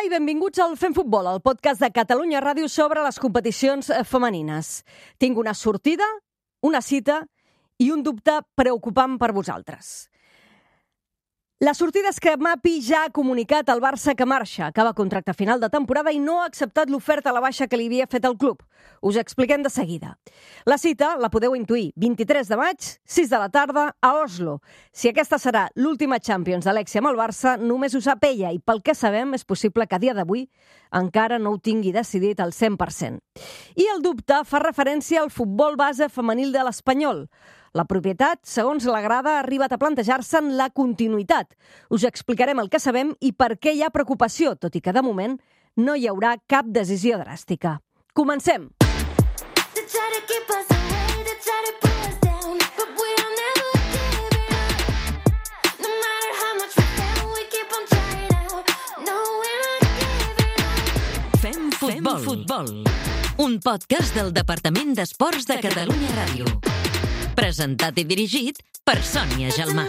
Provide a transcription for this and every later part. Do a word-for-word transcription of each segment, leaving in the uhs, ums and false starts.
i benvinguts al Fem Futbol, el podcast de Catalunya Ràdio sobre les competicions femenines. Tinc una sortida, una cita i un dubte preocupant per vosaltres. La sortida és que Mapi ja ha comunicat al Barça que marxa, acaba contracte final de temporada i no ha acceptat l'oferta a la baixa que li havia fet el club. Us expliquem de seguida. La cita la podeu intuir, vint-i-tres de maig, sis de la tarda, a Oslo. Si aquesta serà l'última Champions d'Alexia amb el Barça, només ho sap ella i pel que sabem és possible que a dia d'avui encara no ho tingui decidit al cent per cent. I el dubte fa referència al futbol base femenil de l'Espanyol. La propietat, segons la grada, ha arribat a plantejar-se'n la continuïtat. Us explicarem el que sabem i per què hi ha preocupació, tot i que de moment no hi haurà cap decisió dràstica. Comencem! Fem futbol. Fem futbol. Un podcast del Departament d'Esports de Catalunya Ràdio. Presentat i dirigit per Sònia Gelmà.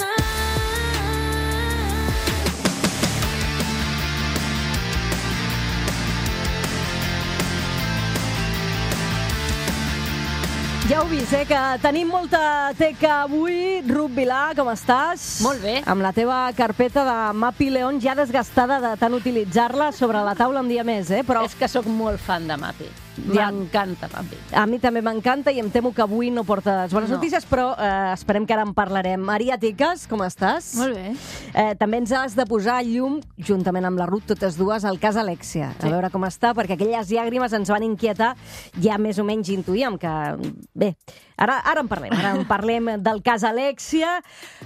Ja ho vist, eh, que tenim molta teca avui. Ruth Vilà, com estàs? Molt bé. Amb la teva carpeta de Mapi León ja desgastada de tant utilitzar-la sobre la taula un dia més, eh? Però És que sóc molt fan de Mapi. Ja. M'encanta Mapi. A mi també m'encanta i em temo que avui no portes bones No. notícies, però eh, esperem que ara en parlarem. Maria Tiques, com estàs? Molt bé. Eh, també ens has de posar llum, juntament amb la Ruth, totes dues, al cas Alexia. A Sí. veure com està, perquè aquelles llàgrimes ens van inquietar. Ja més o menys intuïem que... Bé, ara, ara en parlem. Ara en parlem del cas Alexia.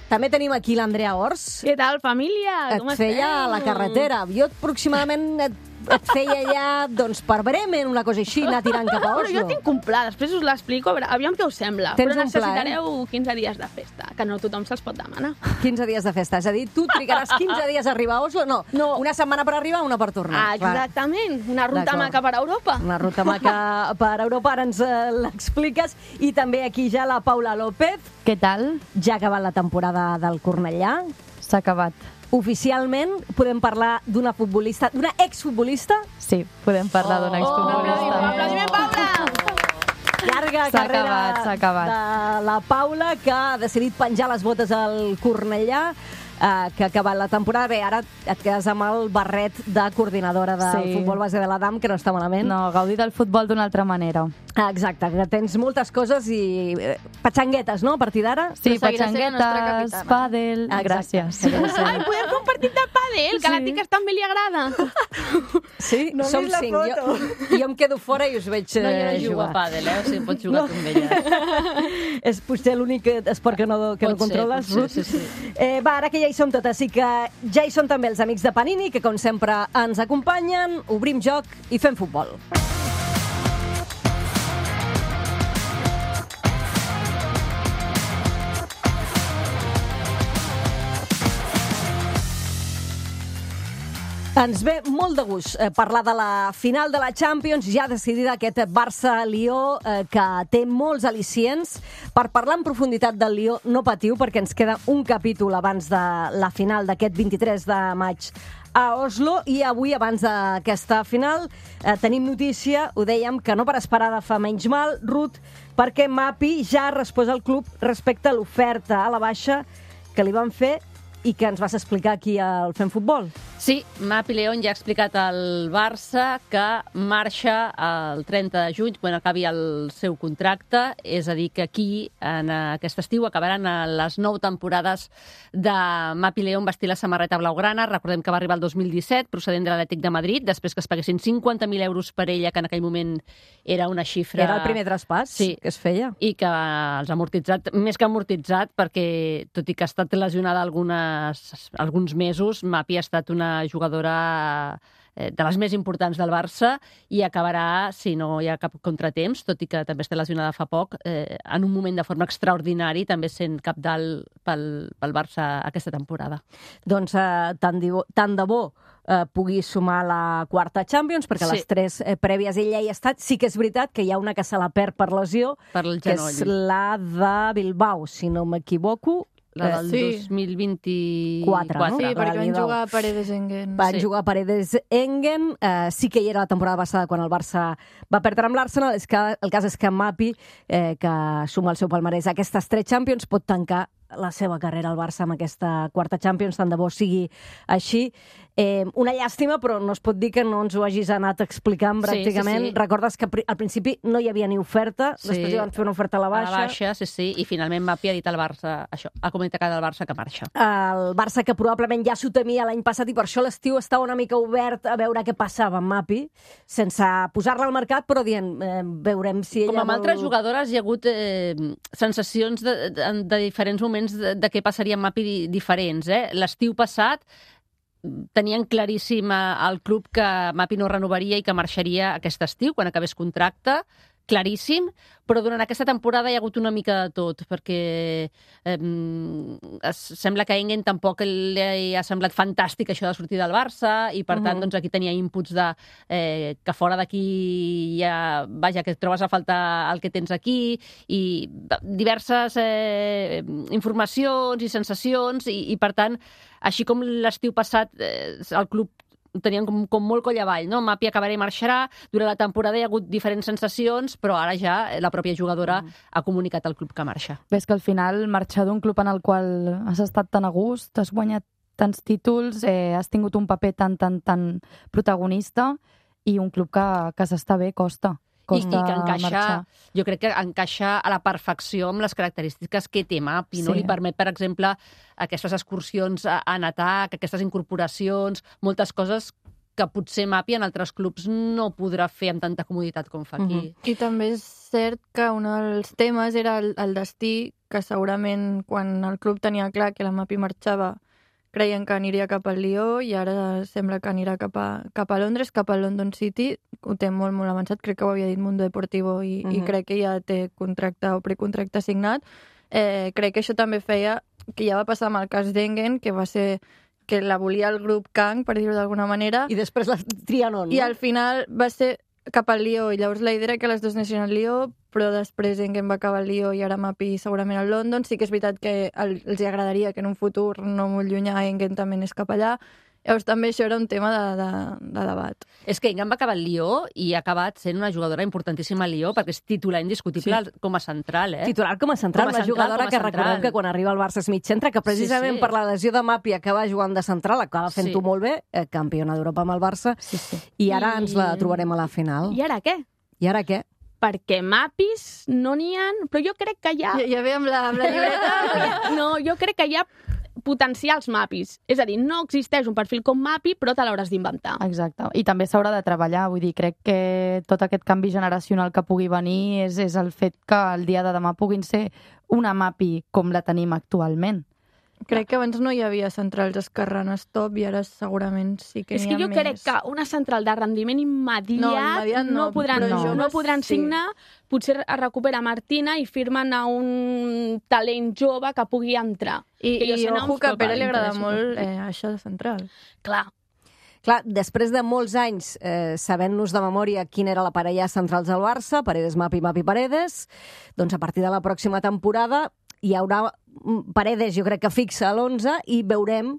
També tenim aquí l'Andrea Ors. Què tal, família? Et Com feia a la carretera. Jo aproximadament et, et feia ja, doncs, per Bremen, una cosa així, anar tirant cap a Però Oslo. jo tinc un pla, després us l'explico, a veure, aviam què us sembla. Tens Però un pla, eh? necessitareu quinze dies de festa, que no tothom se'ls pot demanar. quinze dies de festa. És a dir, tu trigaràs quinze dies a arribar a Oslo? No, No. una setmana per arribar, una per tornar. Ah, exactament, una ruta D'acord. maca per Europa. Una ruta maca per Europa, ara ens eh, l'expliques. I també aquí ja la Paula López. Què tal? Ja ha acabat la temporada del Cornellà. S'ha acabat. Oficialment podem parlar d'una futbolista, d'una exfutbolista. Sí, podem parlar Oh. d'una Un exfutbolista. aplaudiment, Paula! Llarga S'ha carrera acabat, s'ha acabat. de la Paula, que ha decidit penjar les botes al Cornellà, eh, que ha acabat la temporada. Bé, ara et quedes amb el barret de coordinadora del Sí. futbol base de l'Adam, que no està malament. No, gaudir del futbol d'una altra manera. Ah, exacte, que tens moltes coses i eh, patxanguetes, no?, a partir d'ara. Sí, Però seguirà sent la nostra patxanguetes, capitana. pàdel... Exacte. Gràcies. Seguirà sent. Ai, podem fer un partit de pàdel, que a la Sí. tica també li agrada. Sí, No he som vist la cinc. foto. Jo, jo em quedo fora i us veig No, jo no eh, jugo a jugar. pàdel, eh? O sigui, pots jugar no. tu amb elles. És potser l'únic esport que no, que no Pot ser, controles, pot ser, Ruth. sí, sí. Eh, va, ara que ja hi som totes, i que ja hi són també els amics de Panini, que com sempre ens acompanyen, obrim joc i fem futbol. Ens ve molt de gust eh, parlar de la final de la Champions, ja decidida aquest Barça-Lió, eh, que té molts al·licients. Per parlar en profunditat del Lió, no patiu, perquè ens queda un capítol abans de la final d'aquest vint-i-tres de maig a Oslo, i avui, abans d'aquesta final, eh, tenim notícia, ho dèiem, que no per esperada fa menys mal, Ruth, perquè Mapi ja ha respost al club respecte a l'oferta a la baixa que li van fer i que ens vas explicar aquí al Fem Futbol. Sí, Mapi León ja ha explicat al Barça que marxa el trenta de juny, quan acabi el seu contracte, és a dir, que aquí, en aquest estiu, acabaran les nou temporades de Mapi León vestir la samarreta blaugrana. Recordem que va arribar el dos mil disset, procedent de l'Atlètic de Madrid, després que es paguessin cinquanta mil euros per ella, que en aquell moment era una xifra... Era el primer traspàs Sí. que es feia. I que els ha amortitzat, més que amortitzat, perquè, tot i que ha estat lesionada algunes, alguns mesos, Mapi ha estat una jugadora eh, de les més importants del Barça i acabarà, si no hi ha cap contratemps, tot i que també està lesionada fa poc, eh, en un moment de forma extraordinari, també sent capdalt pel, pel Barça aquesta temporada. Doncs eh, tant, de bo, tant de bo eh, pugui sumar la quarta Champions, perquè Sí. les tres eh, prèvies ella hi ha estat. Sí que és veritat que hi ha una que se la perd per lesió, Per el que genoll. és la de Bilbao, si no m'equivoco. La del Sí. dos mil vint-i-quatre. Quatre, no? Sí, La perquè van Lliga. jugar a Paredes Engen. Van Sí. jugar Paredes Engen, eh, sí que hi era la temporada passada quan el Barça va perdre amb l'Arsenal. És que el cas és que Mapi, eh, que suma el seu palmarès a aquestes tres Champions, pot tancar la seva carrera al Barça amb aquesta quarta Champions, tant de bo sigui així. Eh, una llàstima, però no es pot dir que no ens ho hagis anat explicant Sí, pràcticament. sí, sí. Recordes que pri- al principi no hi havia ni oferta, Sí. després hi van fer una oferta a la A baixa. la baixa, sí, sí, i finalment Mapi ha dit al Barça, això, ha comunicat al Barça que marxa. El Barça, que probablement ja s'ho temia l'any passat i per això l'estiu estava una mica obert a veure què passava amb Mapi, sense posar-la al mercat, però dient, eh, veurem si ella Com amb vol... altres jugadores hi ha hagut eh, sensacions de, de, de diferents moments de, de què passaria amb Mapi di- diferents. Eh? L'estiu passat tenien claríssim al club que Mapi no renovaria i que marxaria aquest estiu, quan acabés contracte, claríssim, però durant aquesta temporada hi ha hagut una mica de tot, perquè eh, es, sembla que a Engen tampoc li ha semblat fantàstic això de sortir del Barça, i per tant Mhm. doncs, aquí tenia inputs de eh, que fora d'aquí ja, vaja, que et trobes a faltar el que tens aquí, i diverses eh, informacions i sensacions, i, i per tant, així com l'estiu passat eh, el club tenien com, com molt coll avall, no? Mapi acabarà i marxarà, durant la temporada hi ha hagut diferents sensacions, però ara ja la pròpia jugadora mm. ha comunicat al club que marxa. Ves que al final marxar d'un club en el qual has estat tan a gust, has guanyat tants títols, eh, has tingut un paper tan, tan, tan protagonista, i un club que, que s'està bé costa. I, costa i que encaixa, marxar. jo crec que encaixa a la perfecció amb les característiques que té Mapi, no? Sí. Li permet, per exemple, aquestes excursions a- en atac, aquestes incorporacions, moltes coses que potser Mapi en altres clubs no podrà fer amb tanta comoditat com fa aquí. Mhm. I també és cert que un dels temes era el, el destí, que segurament quan el club tenia clar que la Mapi marxava creien que aniria cap al Lió, i ara sembla que anirà cap a, cap a Londres, cap al London City. Ho té molt, molt avançat, crec que ho havia dit Mundo Deportivo, i, Mhm. i crec que ja té contracte o precontracte signat. Eh, crec que això també feia, que ja va passar amb el cas d'Engen, que va ser que la volia el grup Kang, per dir-ho d'alguna manera, I després la Trianon, no? i al final va ser cap al Lió, i llavors la idea era que les dues anessin al Lió, però després Engen va acabar al Lió i ara Mapi segurament al London. Sí que és veritat que el, els agradaria que en un futur no molt llunyà Engen també anés cap allà. Llavors també això era un tema de, de, de debat. És que Engen va acabar al Lió i ha acabat sent una jugadora importantíssima al Lió, perquè és titular indiscutible sí. com a central, eh? Titular com a central, Com a una central, jugadora com a que central. recordem que quan arriba al Barça és mig centre, que precisament Sí, sí. per la lesió de Mapi acaba jugant de central, acaba fent-ho Sí. molt bé, eh, campiona d'Europa amb el Barça, Sí, sí. i ara I- ens la trobarem a la final. I ara què? I ara què? Perquè mapis no n'hi ha, però jo crec que hi ha... Ja, ja ve amb la, amb la llibreta. No, jo crec que hi ha potencials mapis. És a dir, no existeix un perfil com mapi, però te l'hauràs d'inventar. Exacte. I també s'haurà de treballar. Vull dir, crec que tot aquest canvi generacional que pugui venir és, és el fet que el dia de demà puguin ser una mapi com la tenim actualment. Crec que abans no hi havia centrals esquerranes top, i ara segurament sí que És n'hi que ha jo més. crec que una central de rendiment immediat No, immediat no, no podran, però no, joves no podran sí. signar. Potser es recupera Martina i firmen a un talent jove que pugui entrar. I, que jo i sé noms, ojo que a però Pere clar, li agrada interessa molt molt. eh, això de central. Clar. Clar, després de molts anys eh, sabent-nos de memòria quina era la parella centrals del Barça, Paredes, Mapi, Mapi, Paredes, doncs a partir de la pròxima temporada hi haurà Paredes, jo crec que fixa a l'onze, i veurem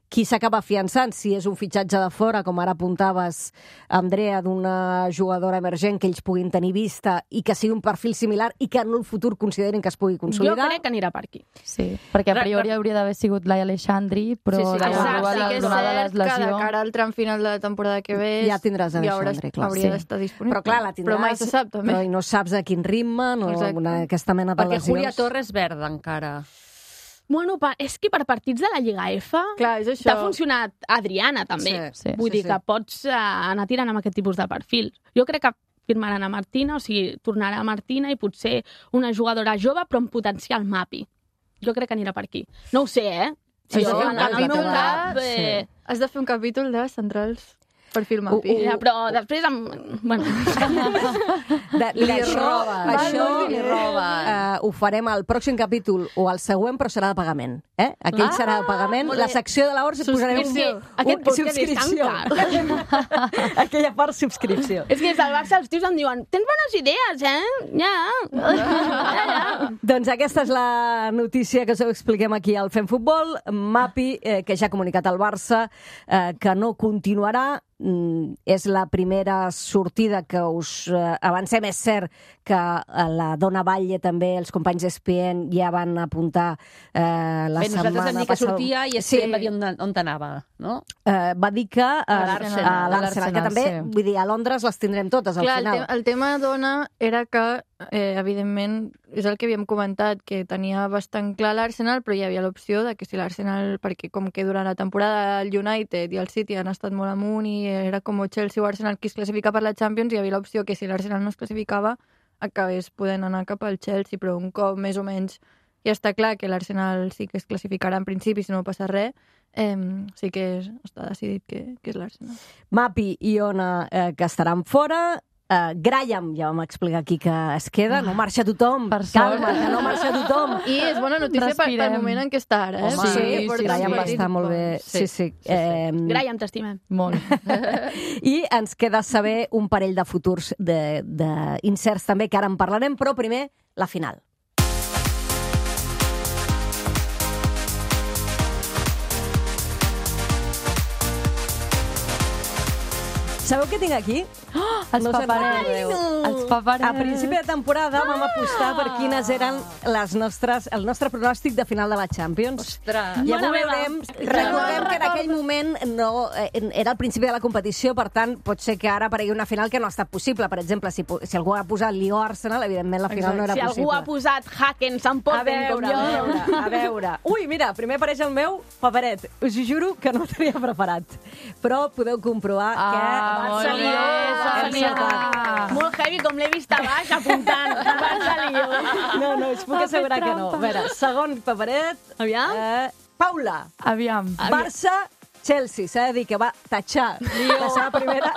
qui s'acaba afiançant, si és un fitxatge de fora, com ara apuntaves, Andrea, d'una jugadora emergent que ells puguin tenir vista i que sigui un perfil similar i que en un futur considerin que es pugui Jo consolidar. crec que anirà per aquí. Sí, perquè a priori hauria d'haver sigut Laia Aleixandri, però Sí, sí, de exacte, trobar sí la que és donada cert les que de lesió... cara al tram final de la temporada que ve Ja tindràs ja haurà- Aleixandri, clar. hauria Sí. d'estar disponible. Però clar, la tindràs, Però mai se sap, també. però i no saps a quin ritme, no, Exacte. una, aquesta mena de Perquè lesions. Julia Torres verda encara. Bueno, pa- és que per partits de la Lliga F Clar, és això. t'ha funcionat Adriana, també. Sí, sí, Vull sí, dir sí. que pots eh, anar tirant amb aquest tipus de perfil. Jo crec que firmaran a Martina, o sigui, tornarà a Martina i potser una jugadora jove però amb potencial mapi. Jo crec que anirà per aquí. No ho sé, eh? Sí, jo, sí, en, un en el meu capítol, cap... sí. Eh, Has de fer un capítol de centrals. perfil Mapi. Uh, uh. Ja, però després... Amb... Bueno. De, mira, Li això, roba, això li roba. uh, ho farem al pròxim capítol o al següent, però serà de pagament. Eh? Aquell Ah, serà de pagament. molt bé. La secció de l'Horts posarem un, Subscripció. un, Aquest podcast és subscripció. tan Aquella part, subscripció. És que des del Barça els tios em diuen tens bones idees, eh? Ja. ja, ja. Doncs aquesta és la notícia que us expliquem aquí al Fem Futbol. Mapi, eh, que ja ha comunicat al Barça eh, que no continuarà. Mm, és la primera sortida que us eh, avancem. És cert que eh, la Dona Batlle també, els companys d'E S P N ja van apuntar eh, la Bé, nosaltres setmana vam dir que passada. sortia i Sí. sí. va dir on, on t'anava, no? Eh, va dir que eh, A l'Arsenal. a A l'Arsenal, que l'Arsenal, també, sí. vull dir, a Londres les tindrem totes al Clar, el, final. te el tema dona era que, eh, evidentment, és el que havíem comentat, que tenia bastant clar l'Arsenal, però hi havia l'opció de que si l'Arsenal, perquè com que durant la temporada el United i el City han estat molt amunt i era com Chelsea o Arsenal qui es classifica per la Champions, hi havia l'opció que si l'Arsenal no es classificava acabés podent anar cap al Chelsea, però un cop més o menys ja està clar que l'Arsenal sí que es classificarà en principi si no passa res, eh, sí que és, està decidit que, que és l'Arsenal. Mapi i Ona, eh, que estaran fora. Uh, Graham, ja vam explicar aquí que es queda, no marxa tothom. Per sort. Calma, que no marxa tothom. I és bona notícia per, pel Respirem. moment en què està ara. Eh? Home, Perquè sí, porta sí, Graham uns va partits estar molt bé. bons. Sí, sí. sí, sí. Eh, Graham, t'estimem. Molt. I ens queda saber un parell de futurs de, de incerts també, que ara en parlarem, però primer la final. Sabeu què tinc aquí? Els No se'n paperets. recordeu. Els paperets. A principi de temporada vam apostar per quines eren les nostres, el nostre pronòstic de final de la Champions. Ostres. I avui Mare meva. veurem, recordem que en aquell moment no, eh, era el principi de la competició, per tant, pot ser que ara aparegui una final que no ha estat possible. Per exemple, si, si algú ha posat Lió-Arsenal, evidentment la final no era si possible. algú ha posat Hackens en A Potten com veure, jo... a veure, a veure. Ui, mira, primer apareix el meu paperet. Us ho juro que no ho tenia preparat. Però podeu comprovar Ah, que... molt Barça bé, Lió, hem Sònia. encertat. Molt heavy, com l'he vist a baix, apuntant. Barça Lió. No, no, us puc Ha assegurar fet que no. A trampa. veure, segon paperet. Aviam. Eh, Paula, Aviam. Barça, Chelsea. S'ha de dir que va tatxar la seva primera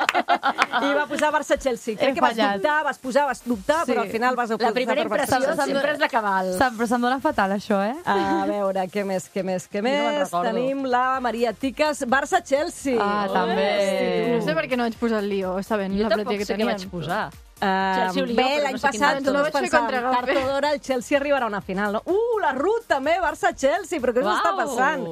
i va posar Barça-Chelsea. Crec He que vas fallat. dubtar, vas posar, vas dubtar, Sí. però al final vas ocultar La primera per impressió Barça. sempre és la cabal. Sap, però se'm dona fatal, això, eh? A veure, què més, què més, què no me'n més? recordo. Tenim la Maria Tiques, Barça-Chelsea. Ah, també. No sé per què no vaig posar el Lió, sabent Jo la tampoc plantilla que sé què tenien. vaig posar. Uh, Chelsea o Lió, bé, però l'any no sé quin passat altre. tots No vaig fer pensàvem contra Gavi. tard o d'hora el Chelsea arribarà a una final. No? Uh, la Ruth també, Barça-Chelsea, però què us Uau. està passant?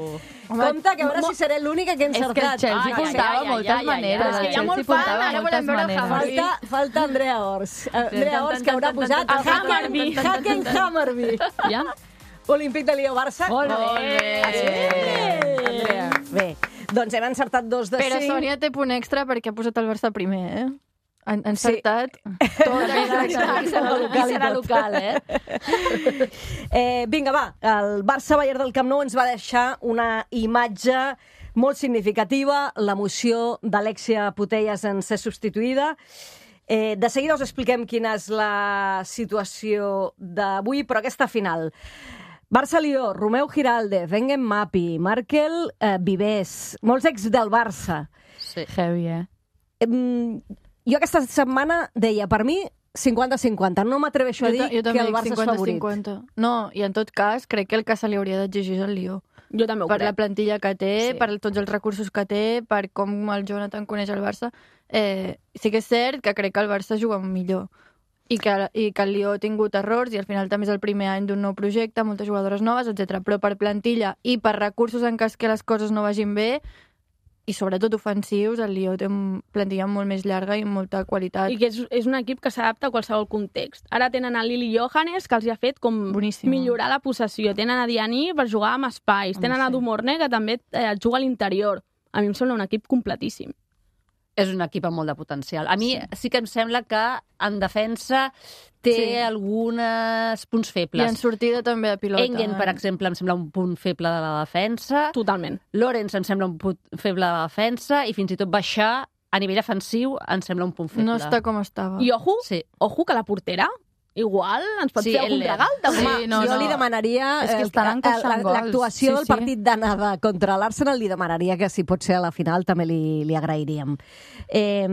Home, Compte, que a veure si seré l'única que he És que el encertat. Chelsea Ai, ai, puntava ai, ai, moltes ai, ai, maneres. ai. El És que hi ha Chelsea molt fan, puntava ara moltes volem veure maneres. Havertz. Falta, falta Andrea Ors. Uh, Andrea Ors, que haurà posat tan, tan, tan, Hacken tan, tan, Hacken Hammerby. Ja? Olímpic de Lió-Barça. Molt bé. Ah, sí? Andrea. Bé, doncs hem encertat dos de Però cinc. Sònia té punt extra perquè ha posat el Barça primer, eh? Han encertat sí. tot. Aquí serà local, serà local, eh? Eh, vinga, va, el Barça-Bayern del Camp Nou ens va deixar una imatge molt significativa, l'emoció d'Alexia Putellas en ser substituïda. Eh, de seguida us expliquem quina és la situació d'avui, però aquesta final. Barça-Lió, Romeu Giraldez, Engen Mapi, Markel, eh, Vives, molts ex del Barça. Sí. Heavy, eh? Eh, jo aquesta setmana deia, per mi, cinquanta cinquanta. No m'atreveixo a dir jo, jo que també el Barça és favorit. cinquanta. No, i en tot cas, crec que el que se li hauria d'exigir és el Lió. Jo també ho Per la crec. plantilla que té, Sí. sí. per tots els recursos que té, per com el Jonathan coneix el Barça. Eh, sí que és cert que crec que el Barça juga millor i que, i que el Lió ha tingut errors i al final també és el primer any d'un nou projecte, moltes jugadores noves, etcètera. Però per plantilla i per recursos en cas que les coses no vagin bé, i sobretot ofensius, el Lió té una plantilla molt més llarga i molta qualitat. I que és, és un equip que s'adapta a qualsevol context. Ara tenen a Lili Johannes, que els hi ha fet com Boníssima. millorar la possessió. Tenen a Diani per jugar amb espais. Tenen a sí. Dumorne, que també eh, juga a l'interior. A mi em sembla un equip completíssim. És un equip amb molt de potencial. A mi sí, sí que em sembla que en defensa té Sí. sí. alguns punts I febles. en sortida també de pilota. Engen, per exemple, em sembla un punt feble de la defensa. Totalment. Lorenz em sembla un punt feble de la defensa i fins i tot baixar a nivell defensiu em sembla un punt feble. No està com estava. I ojo, Sí. ojo que la portera igual ens pot Sí, fer algun el- regal, també. Sí, no, jo no. li demanaria... És que eh, estan encaixant gols. l'actuació Sí, del sí. partit d'anada contra l'Arsenal li demanaria que si pot ser a la final també li, li agrairíem. Eh,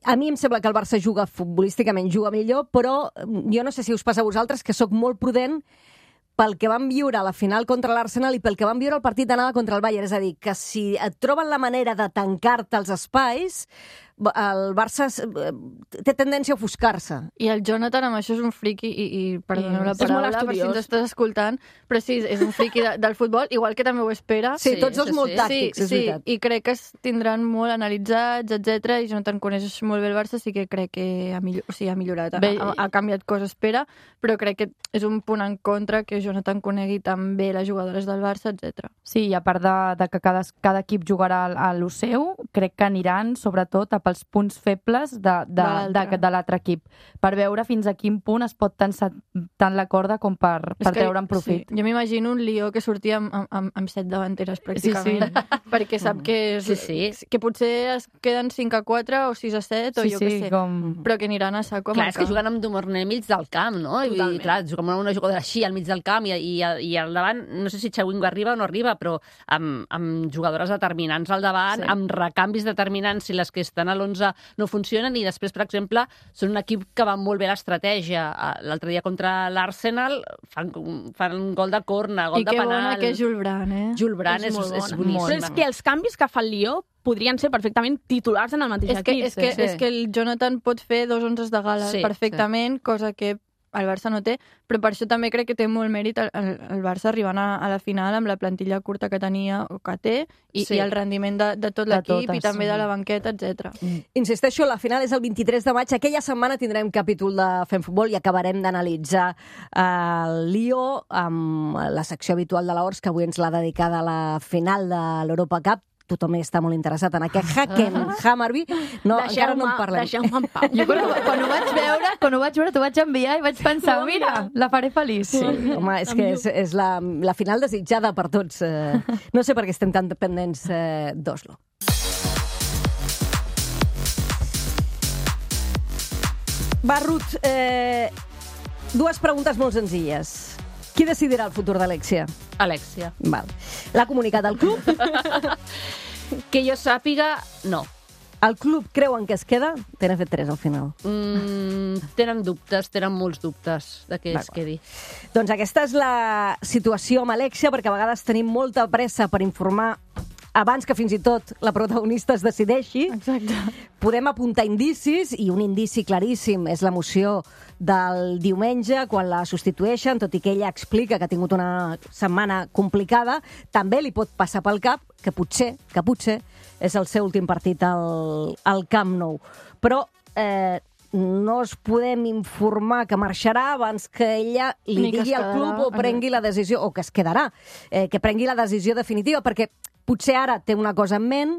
a mi em sembla que el Barça juga futbolísticament, juga millor, però jo no sé si us passa a vosaltres que sóc molt prudent pel que van viure a la final contra l'Arsenal i pel que van viure al partit d'anada contra el Bayern. És a dir, que si et troben la manera de tancar-te els espais, el Barça té tendència a ofuscar-se. I el Jonathan amb això és un friqui, i, i perdoneu la És molt paraula per si estudiós. ens estàs escoltant, però sí, és un friqui de, del futbol, igual que també ho espera. Sí, Sí, tots dos sí, molt sí. tàctics, sí, és sí, veritat. i crec que es tindran molt analitzats, etcètera. I Jonathan coneix molt bé el Barça, sí que crec que ha, millor, o sigui, ha millorat, ha, Bé, ha, ha canviat coses, espera, però crec que és un punt en contra que Jonathan conegui tan bé les jugadores del Barça, etcètera. Sí, i a part de, de que cada, cada equip jugarà a lo seu, crec que aniran, sobretot, a pels punts febles de, de, de, l'altre. de, de l'altre equip, per veure fins a quin punt es pot tensar tant la corda com per, És per que, treure'n profit. Sí, jo m'imagino un Lió que sortia amb, amb, amb set davanteres, pràcticament, Sí, perquè sap que, és, Sí, sí. que potser es queden cinc a quatre o sis a set, o Sí, jo sí, què sé, com... però que aniran a saco a Clar, és que marcar. juguen amb Dumorné mig del camp, no? I, Totalment. clar, juguen amb una jugadora així al mig del camp i, i, i al davant, no sé si Chewingo arriba o no arriba, però amb, amb jugadores determinants al davant, Sí. amb recanvis determinants si les que estan a l'onze no funcionen, i després, per exemple, són un equip que va molt bé l'estratègia. L'altre dia contra l'Arsenal fan, fan un gol de corna, gol I de que penal. bona que és Jules Brand, eh? Jules Brand és, És és, molt és bona. boníssima. Però és que els canvis que fa el Lió podrien ser perfectament titulars en el mateix És que, equip. és, que, sí. és que el Jonathan pot fer dos onzes de gala Sí, perfectament, cosa que el Barça no té, però per això també crec que té molt mèrit el, el, el Barça arribant a, a la final amb la plantilla curta que tenia o que té i, Sí. i el rendiment de, de tot De l'equip i totes, també sí. de la banqueta, etcètera. Insisteixo, la final és el vint-i-tres de maig. Aquella setmana tindrem capítol de Fem Futbol i acabarem d'analitzar eh, el Lió amb la secció habitual de l'Horts, que avui ens l'ha dedicada a la final de l'Europa Cup. Tothom està molt interessat en aquest Hacken Hammarby. No, encara no en parlem. Deixeu-me en pau. Jo quan, ho- quan ho vaig veure, quan ho vaig veure, t'ho vaig enviar i vaig pensar, mira, la faré feliç. Sí, home, és que és, és la, la final desitjada per tots. Eh, no sé per què estem tan dependents eh, d'Oslo. Va, Ruth, eh, dues preguntes molt senzilles. Qui decidirà el futur d'Alexia? Alexia. Val. L'ha comunicat el club? Que jo sàpiga, no. El club creuen que es queda? Tenen fet tres al final. Mm, tenen dubtes, tenen molts dubtes de que es D'acord. quedi. Doncs aquesta és la situació amb Alexia, perquè a vegades tenim molta pressa per informar abans que fins i tot la protagonista es decideixi. Exacte. Podem apuntar indicis, i un indici claríssim és l'emoció del diumenge, quan la substitueixen, tot i que ella explica que ha tingut una setmana complicada. També li pot passar pel cap que potser, que potser és el seu últim partit al, al Camp Nou. Però eh, no es podem informar que marxarà abans que ella li Ni que es digui al quedarà. club o prengui la decisió, o que es quedarà, eh, que prengui la decisió definitiva, perquè potser ara té una cosa en ment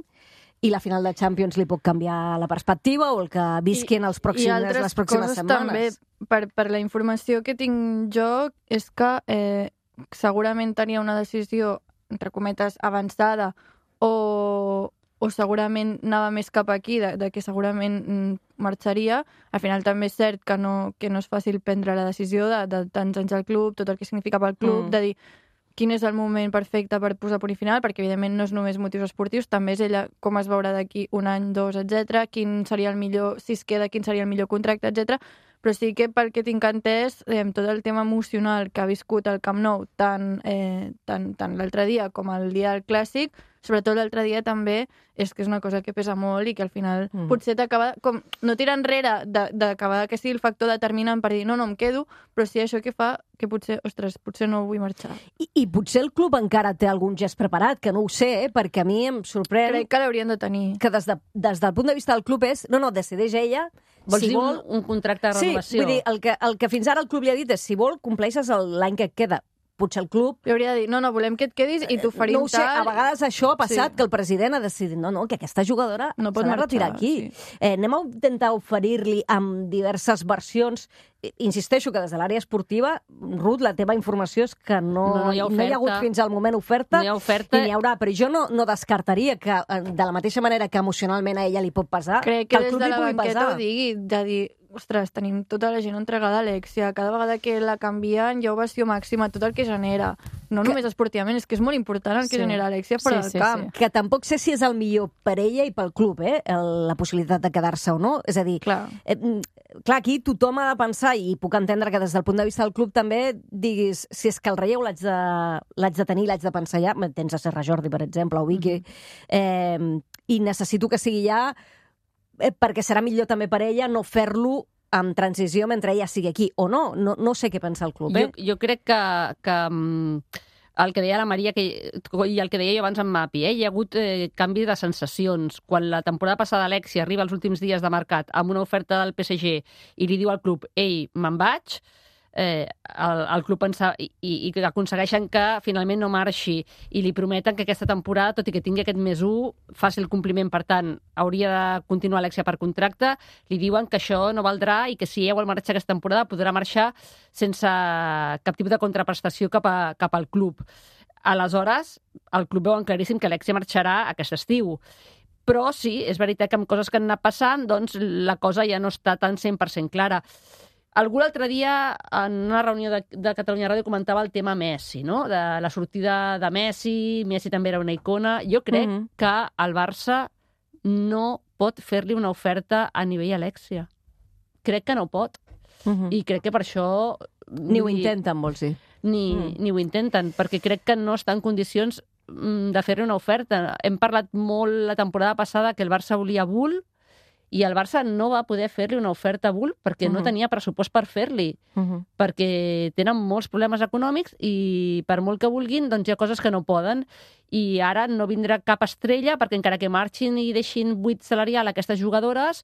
i la final de Champions li pot canviar la perspectiva o el que visqui en els pròxims, I altres les pròximes coses setmanes. també, per, per la informació que tinc jo, és que eh, segurament tenia una decisió, entre cometes, avançada o, o segurament anava més cap aquí, de, de que segurament mm, marxaria. Al final també és cert que no, que no és fàcil prendre la decisió de, de tants anys al club, tot el que significa pel club, Mm. de dir quin és el moment perfecte per posar punt i final, perquè evidentment no és només motius esportius, també és ella com es veurà d'aquí un any, dos, etcètera, quin seria el millor, si es queda, quin seria el millor contracte, etcètera. Però sí que pel que tinc entès, eh, tot el tema emocional que ha viscut el Camp Nou, tant, eh, tant, tant l'altre dia com el dia del Clàssic, sobretot l'altre dia també, és que és una cosa que pesa molt i que al final Mm. mm. potser t'acaba, com no tirar enrere de- d'acabar que sigui el factor determinant per dir no, no em quedo, però sí això que fa que potser, ostres, potser no vull marxar. I, I potser el club encara té algun gest preparat, que no ho sé, eh, perquè a mi em sorprèn Crec que l'haurien de tenir. que des, de, des del punt de vista del club és, no, no, decideix ella, Vols si dir vol... un, un contracte de Sí, renovació? vull dir, el que, el que fins ara el club li ha dit és, si vol, compleixes el- l'any que et queda. Potser el club... Li hauria de dir, no, no, volem que et quedis i t'oferim No ho sé, tal. a vegades això ha passat, Sí. que el president ha decidit, no, no, que aquesta jugadora No pot s'ha de marxar, retirar aquí. sí. Eh, anem a intentar oferir-li amb diverses versions. I- Insisteixo que des de l'àrea esportiva, Ruth, la teva informació és que no, No, no hi ha no hi ha hagut oferta. fins al moment oferta, No hi ha oferta. i n'hi haurà, però jo no, no descartaria que, eh, de la mateixa manera que emocionalment a ella li pot pesar, Crec que, el des club de li la pugui banqueta pesar. ho digui, de dir, ostres, tenim tota la gent entregada a Alexia, cada vegada que la canvien hi ha ovació màxima, tot el que genera. No que... només esportivament, és que és molt important el que sí. genera Alexia fora sí, del camp. Sí, sí. Que tampoc sé si és el millor per ella i pel club, eh? El, la possibilitat de quedar-se o no. És a dir, clar. Eh, clar, aquí tothom ha de pensar, i puc entendre que des del punt de vista del club també diguis, si és que el relleu l'haig de, l'haig de tenir, l'haig de pensar ja, tens a Serra Jordi, per exemple, o Vicky, mm-hmm. eh, i necessito que sigui ja, eh, perquè serà millor també per ella no fer-lo amb transició mentre ella sigui aquí, o no. No, no sé què pensa el club, eh? Jo, jo crec que... que el que deia la Maria que, i el que deia jo abans amb Mapi, eh? Hi ha hagut eh, canvi de sensacions. Quan la temporada passada Alexia arriba als últims dies de mercat amb una oferta del P S G i li diu al club, ei, me'n vaig, eh, el, el club pensa, i, i que aconsegueixen que finalment no marxi i li prometen que aquesta temporada, tot i que tingui aquest més un, faci el compliment, per tant, hauria de continuar Alexia per contracte, li diuen que això no valdrà i que si ella vol marxar aquesta temporada podrà marxar sense cap tipus de contraprestació cap, a, cap al club. Aleshores, el club veuen claríssim que Alexia marxarà aquest estiu. Però sí, és veritat que amb coses que han anat passant, doncs la cosa ja no està tan cent per cent clara. Algú l'altre dia, en una reunió de, de Catalunya Ràdio, comentava el tema Messi, no? De la sortida de Messi, Messi també era una icona. Jo crec mm-hmm. que el Barça no pot fer-li una oferta a nivell Alexia. Crec que no pot. Mm-hmm. I crec que per això... Ni ho intenten, vols dir. Ni, mm. ni ho intenten, perquè crec que no està en condicions de fer-li una oferta. Hem parlat molt la temporada passada que el Barça volia Bull, i el Barça no va poder fer-li una oferta a Bull perquè uh-huh. no tenia pressupost per fer-li, uh-huh. perquè tenen molts problemes econòmics i per molt que vulguin, doncs hi ha coses que no poden. I ara no vindrà cap estrella perquè encara que marxin i deixin buit salarial a aquestes jugadores,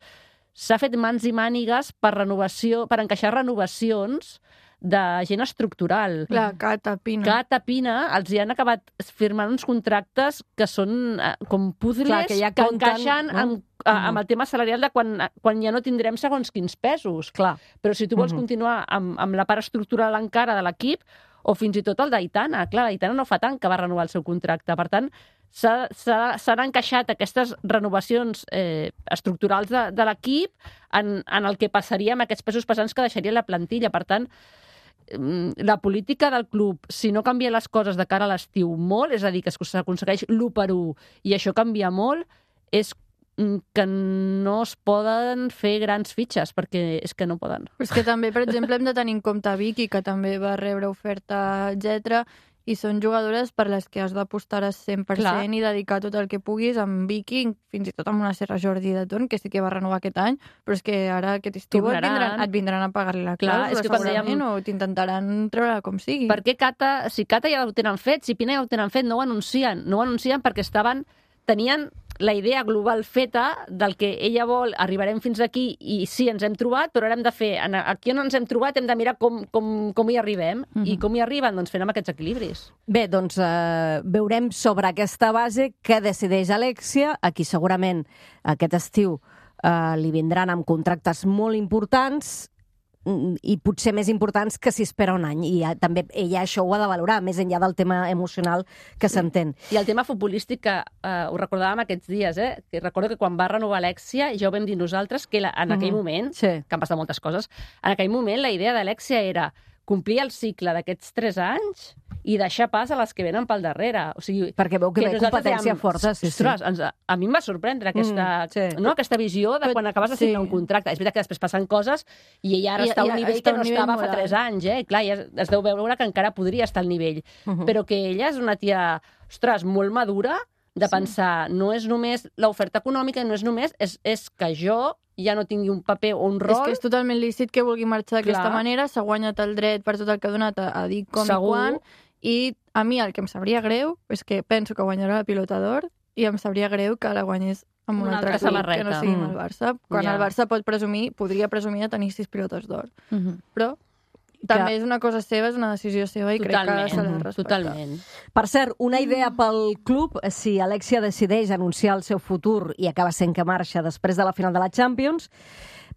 s'ha fet mans i mànigues per renovació, per encaixar renovacions de gent estructural. La Cata Pina. Cata Pina, els hi han acabat firmant uns contractes que són eh, com puzles Clar, que, ja que compten, encaixen no? amb, uh, amb el tema salarial de quan, quan ja no tindrem segons quins pesos. Clar. Però si tu vols uh-huh. continuar amb, amb la part estructural encara de l'equip, o fins i tot el d'Aitana. Clar, l'Aitana no fa tant que va renovar el seu contracte. Per tant, s'han encaixat aquestes renovacions eh, estructurals de, de l'equip en, en el que passaria amb aquests pesos pesants que deixaria la plantilla. Per tant, la política del club, si no canvia les coses de cara a l'estiu molt, és a dir, que s'aconsegueix l'u per u i això canvia molt, és que no es poden fer grans fitxes, perquè és que no poden. Però és que també, per exemple, hem de tenir en compte Vicky, que també va rebre oferta, etcètera, i són jugadores per les que has d'apostar al cent per cent Clar. I dedicar tot el que puguis amb Vicky, fins i tot amb una Serra Jordi de Ton, que sí que va renovar aquest any, però és que ara aquest estiu et vindran, et vindran a pagar-li la clàusula, és que segurament, dèiem... o t'intentaran treure com sigui. Per què Cata, si Cata ja ho tenen fet, si Pina ja ho tenen fet, no ho anuncien. No ho anuncien perquè estaven, tenien la idea global feta del que ella vol, arribarem fins aquí i sí, ens hem trobat, però ara hem de fer, aquí on ens hem trobat hem de mirar com, com, com hi arribem. Mm-hmm. I com hi arriben? Doncs fent amb aquests equilibris. Bé, doncs eh, veurem sobre aquesta base què decideix Alexia, a qui segurament aquest estiu eh, li vindran amb contractes molt importants i potser més importants que si espera un any. I ja, també ella això ho ha de valorar, més enllà del tema emocional que s'entén. I el tema futbolístic, que eh, ho recordàvem aquests dies, eh? Que recordo que quan va renovar Alexia, ja ho vam dir nosaltres, que la, en aquell uh-huh. moment, sí. que han passat moltes coses, en aquell moment la idea d'Alexia era complir el cicle d'aquests tres anys i deixar pas a les que venen pel darrere. O sigui, perquè veu que, que ve competència dèiem, forta. Sí, ostres, sí. Ens, a mi em va sorprendre aquesta, mm, sí. no, aquesta visió de quan acabes de signar sí. un contracte. És veritat que després passen coses i ella ara I, està a un nivell que no estava fa tres anys. Eh? I clar, ja es deu veure que encara podria estar al nivell. Uh-huh. Però que ella és una tia, ostres, molt madura, de pensar, sí. no és només l'oferta econòmica, no és només, és, és que jo ja no tingui un paper o un rol... És que és totalment lícit que vulgui marxar d'aquesta manera, s'ha guanyat el dret per tot el que ha donat a, a dir com Segur. I quan, i a mi el que em sabria greu és que penso que guanyarà la Pilota d'Or i em sabria greu que la guanyés amb un, un altre club que no sigui mm. el Barça. Quan ja. el Barça pot presumir, podria presumir de tenir sis pilotes d'or. Mm-hmm. Però també que... és una cosa seva, és una decisió seva i totalment, crec que se l'ha respectat. Totalment. Per cert, una idea pel club, si Alexia decideix anunciar el seu futur i acaba sent que marxa després de la final de la Champions,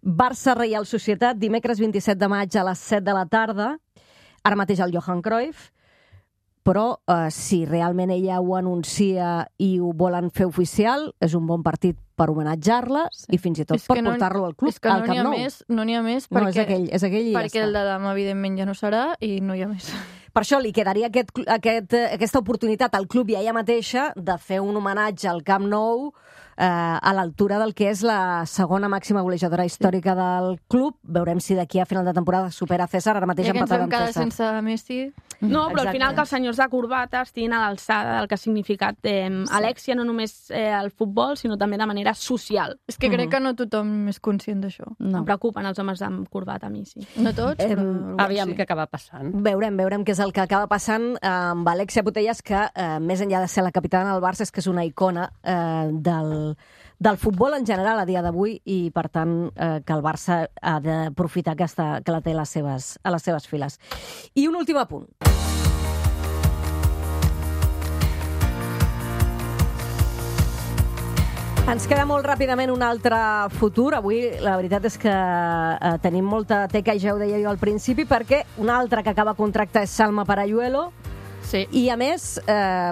Barça-Reial Societat, dimecres vint-i-set de maig a les set de la tarda, ara mateix al Johan Cruyff, però eh, si realment ella ho anuncia i ho volen fer oficial, és un bon partit per homenatjar-la sí. i fins i tot és per no, portar-lo al club, és que al no Camp n'hi ha Nou. més, no n'hi ha més perquè, perquè, no, és aquell, és aquell i perquè ja el està. de demà, evidentment, ja no serà i no hi ha més. Per això li quedaria aquest, aquest, aquesta oportunitat al club i a ella mateixa de fer un homenatge al Camp Nou eh, a l'altura del que és la segona màxima golejadora històrica del club. Veurem si d'aquí a final de temporada supera César, ara mateix Ja que ens empatada vam amb quedar César. sense Messi... No, però Exacte. al final que els senyors de corbata estiguin a l'alçada del que ha significat eh, sí. Alexia, no només eh, el futbol, sinó també de manera social. És que crec que no tothom és conscient d'això. No. Em preocupen els homes amb corbata, a mi sí. No tots, però... Em, Aviam sí. què acaba passant. Veurem, veurem què és el que acaba passant amb Alexia Putellas, que eh, més enllà de ser la capitana del Barça és que és una icona eh, del, del futbol en general a dia d'avui i, per tant, eh, que el Barça ha d'aprofitar que, està, que la té a les, seves, a les seves files. I un últim apunt. Ens queda molt ràpidament un altre futur. Avui la veritat és que eh, tenim molta teca, i ja ho deia jo al principi, perquè un altre que acaba contracte és Salma Parayuelo, Sí. i a més, eh,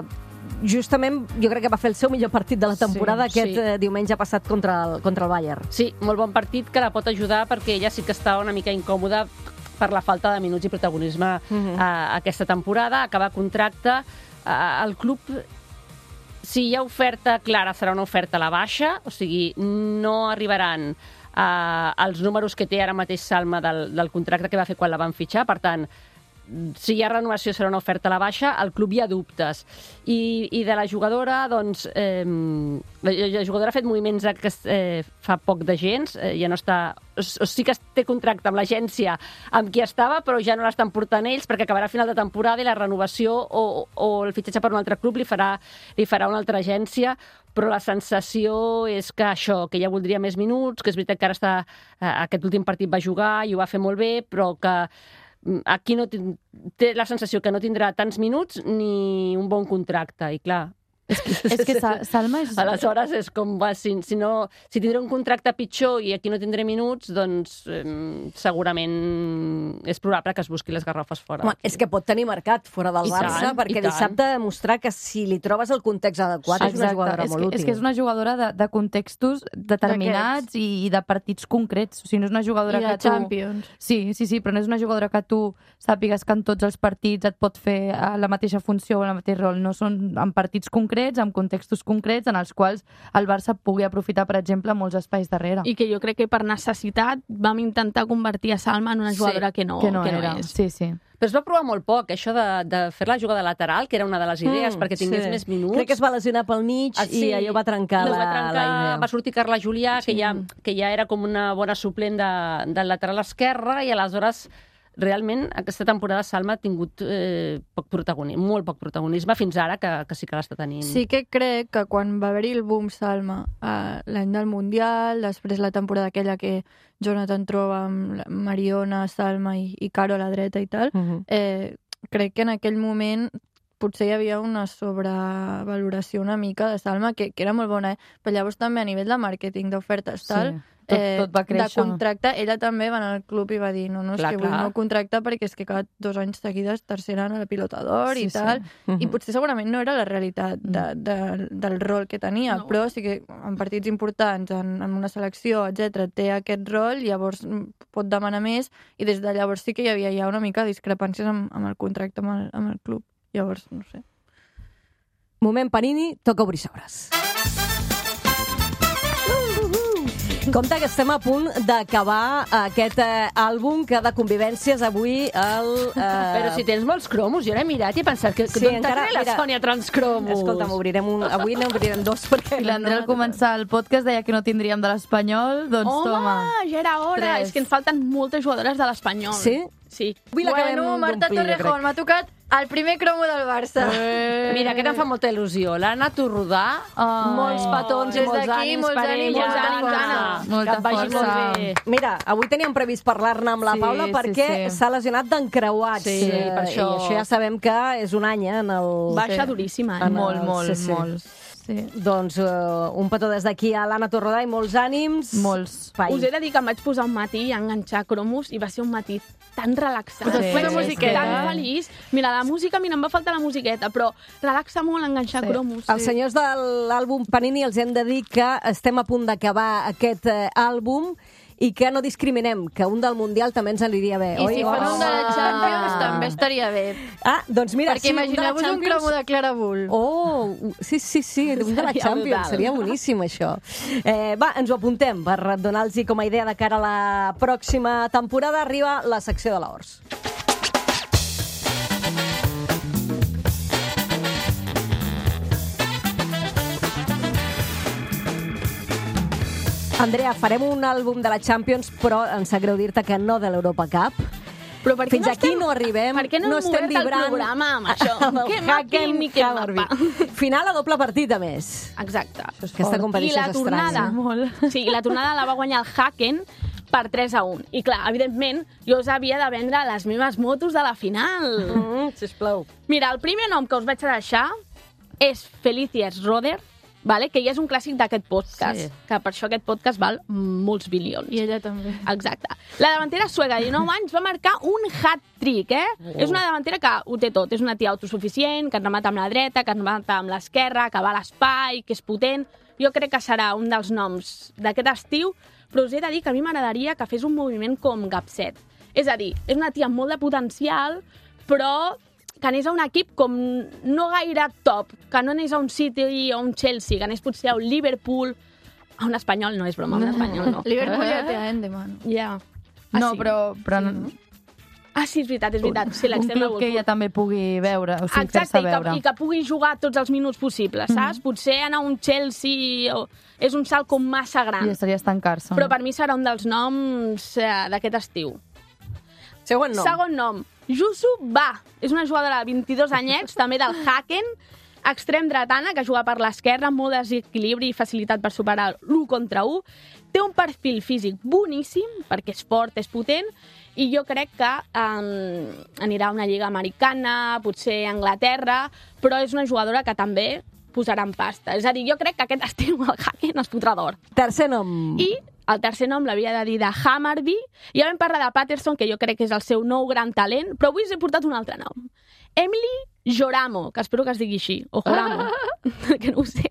justament jo crec que va fer el seu millor partit de la temporada Sí, aquest sí. eh, diumenge passat contra el, contra el Bayern. Sí, molt bon partit que la pot ajudar perquè ella sí que està una mica incòmoda per la falta de minuts i protagonisme Mhm. uh, aquesta temporada. Acaba contracte. Uh, el club, si hi ha oferta clara, serà una oferta a la baixa, o sigui, no arribaran uh, als números que té ara mateix Salma del, del contracte que va fer quan la van fitxar. Per tant, si hi ha renovació serà una oferta a la baixa, al club hi ha dubtes. I, i de la jugadora, doncs, eh, la, la jugadora ha fet moviments que eh, fa poc de gens, eh, ja no està... O, o sí que té contracte amb l'agència amb qui estava, però ja no l'estan portant ells perquè acabarà a final de temporada i la renovació o, o el fitxatge per un altre club li farà, li farà una altra agència, però la sensació és que això, que ja voldria més minuts, que és veritat que ara està, eh, aquest últim partit va jugar i ho va fer molt bé, però que aquí no té la sensació que no tindrà tants minuts ni un bon contracte, i clar... És que, és que Sa- Salma és... Aleshores és com, va, si, si, no, si tindré un contracte pitjor i aquí no tindré minuts, doncs eh, segurament és probable que es busqui les garrofes fora. Home, és que pot tenir mercat fora del I Barça, tant, perquè i tant. dissabte ha demostrat que si li trobes el context adequat és una jugadora és molt que, útil. és que és una jugadora de, de contextos determinats i, i de partits concrets. O sigui, no és una jugadora I de que tu... Champions. Sí, sí, sí, però no és una jugadora que tu sàpigues que en tots els partits et pot fer eh, la mateixa funció o el mateix rol. No són en partits concrets, en contextos concrets, en els quals el Barça pugui aprofitar, per exemple, molts espais darrere. I que jo crec que per necessitat vam intentar convertir a Salma en una jugadora Sí, que no, que no, que no era. és. Sí, sí. Però es va provar molt poc, això de, de fer la jugada lateral, que era una de les idees, Mm, perquè tingués sí. més minuts. Crec que es va lesionar pel mig Ah, sí. i allò va trencar, No, la, es va, trencar la idea. va sortir Carla Julià, que, ja, que ja era com una bona suplent de, del lateral esquerre, i aleshores realment aquesta temporada Salma ha tingut eh, poc protagonisme, molt poc protagonisme fins ara, que, que sí que l'està tenint. Sí que crec que quan va haver-hi el boom Salma eh, l'any del Mundial, després la temporada aquella que Jonathan troba amb la Mariona, Salma i, i Caro a la dreta i tal, Mhm. eh, crec que en aquell moment potser hi havia una sobrevaloració una mica de Salma, que, que era molt bona, eh? Però llavors també a nivell de màrqueting, d'ofertes, tal, Sí, tot- tot va de créixer. contracte, ella també va anar al club i va dir no, no, és Clar, que vull clar. no contractar perquè és que cada dos anys seguides tercera en la Pilota d'Or Sí, i sí. tal, Mhm. i potser segurament no era la realitat de, de, del rol que tenia, No. però sí que en partits importants, en, en una selecció, etcètera, té aquest rol, llavors mm, pot demanar més, i des de llavors sí que hi havia ja una mica de discrepàncies amb, amb el contracte amb el, amb el club. Llavors, no sé. Moment Panini, toca obrir sobres. Compte que estem a punt d'acabar aquest eh, àlbum que de convivències avui el... Eh... Però si tens molts cromos, jo l'he mirat i he pensat que Sí, d'on encara- t'ha tret la mira, Sònia transcromos? Escolta'm, obrirem un... Avui n'obrirem dos perquè... I l'André al començar el podcast deia que no tindríem de l'Espanyol, doncs Home, toma. ja era hora! Tres. És que ens falten moltes jugadores de l'Espanyol. Sí? Sí. Avui l'acabem Bueno, Marta d'omplir, jo crec. Torrejón, m'ha tocat el primer cromo del Barça. Eh. Mira, aquest em fa molta il·lusió. L'Anna Torrodà, Ai. molts petons i Des molts d'aquí, ànims molts per ànims, ella. molts ànims, Anna. Molta que et vagi força. molt bé. Mira, avui teníem previst parlar-ne amb la Sí, Paula sí, perquè sí. s'ha lesionat d'encreuats. Sí, eh, per això. I això ja sabem que és un any, eh, en el... Baixa duríssima, eh? En el- Molt, molt, sí, sí. molt. Sí. Doncs uh, un petó des d'aquí a l'Anna Torrodà i molts ànims. Molts. Pai. Us he de dir que em vaig posar un matí a enganxar cromos i va ser un matí tan relaxant. Sí, Vaig sí, ser sí. tan feliç. Mira, la música, mira, em va faltar la musiqueta, però relaxa molt enganxar Sí. cromos. Els senyors de l'àlbum Panini els hem de dir que estem a punt d'acabar aquest eh, àlbum i que no discriminem, que un del Mundial també ens aniria bé, I oi? si fan un de la Champions Ah. també estaria bé. Ah, doncs mira, Perquè sí, un de la imagineu-vos un Champions... cromo de Clara Bull. Oh, sí, sí, sí, un de la Seria Champions, brutal. seria boníssim això. Eh, va, ens ho apuntem per donar-los com a idea de cara a la pròxima temporada. Arriba la secció de l'Hors. Andrea, farem un àlbum de la Champions, però em sap greu dir-te que no de l'Europa Cup. Però per què Fins no aquí estem, no arribem, Per què no, no hem estem obert el vibrant programa amb això? amb el Què mapi Hacken ni què Hammerby. mapa. Final a doble partit, a més. Exacte. Aquesta I competició la és tornada, estranya. Molt. sí, la tornada la va guanyar el Hacken per tres a un. I clar, evidentment, jo us havia de vendre les meves motos de la final. Mm, sisplau. Mira, el primer nom que us vaig a deixar és Felicias Roder, vale? Que ja és un clàssic d'aquest podcast, Sí. que per això aquest podcast val molts bilions. I ella també. Exacte. La davantera sueca de dinou anys va marcar un hat-trick, eh? Oh. És una davantera que ho té tot. És una tia autosuficient, que et remata amb la dreta, que et remata amb l'esquerra, que va a l'espai, que és potent. Jo crec que serà un dels noms d'aquest estiu, però us he de dir que a mi m'agradaria que fes un moviment com Gapset. És a dir, és una tia amb molt de potencial, però que anés a un equip com no gaire top, que no anés a un City o un Chelsea, que anés potser a un Liverpool, a un espanyol, no és broma, a un espanyol no. Liverpool ja té a Endeman. Ja. No, sí? però, però Sí, no? Ah, sí, és veritat, és veritat. Sí, un l'extrem club que ella també pugui veure, o sigui, Exacte, fer-se i que, veure. i que pugui jugar tots els minuts possibles, saps? Potser anar a un Chelsea o... és un salt com massa gran. I estaria estancar-se. Però per mi serà un dels noms eh, d'aquest estiu. Segon nom. Segon nom, Yusu Ba. És una jugadora de vint-i-dos anyets, també del Hacken, extrem dretana, que juga per l'esquerra, amb molt desequilibri i facilitat per superar l'u contra u. Té un perfil físic boníssim, perquè és fort, és potent, i jo crec que um, anirà a una lliga americana, potser a Anglaterra, però és una jugadora que també posarà en pasta. És a dir, jo crec que aquest estiu el Hacken es fotrà d'or. Tercer nom. I el tercer nom l'havia de dir de Hammarby. Ja vam parlar de Patterson, que jo crec que és el seu nou gran talent, però avui us he portat un altre nom. Emily Joramo, que espero que es digui així, o Joramo, que no ho sé.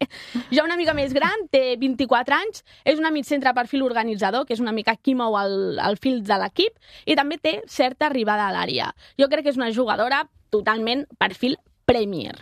Ja una mica més gran, té vint-i-quatre anys, és una mitcentre perfil organitzador, que és una mica qui mou el, el fil de l'equip, i també té certa arribada a l'àrea. Jo crec que és una jugadora totalment perfil Premier.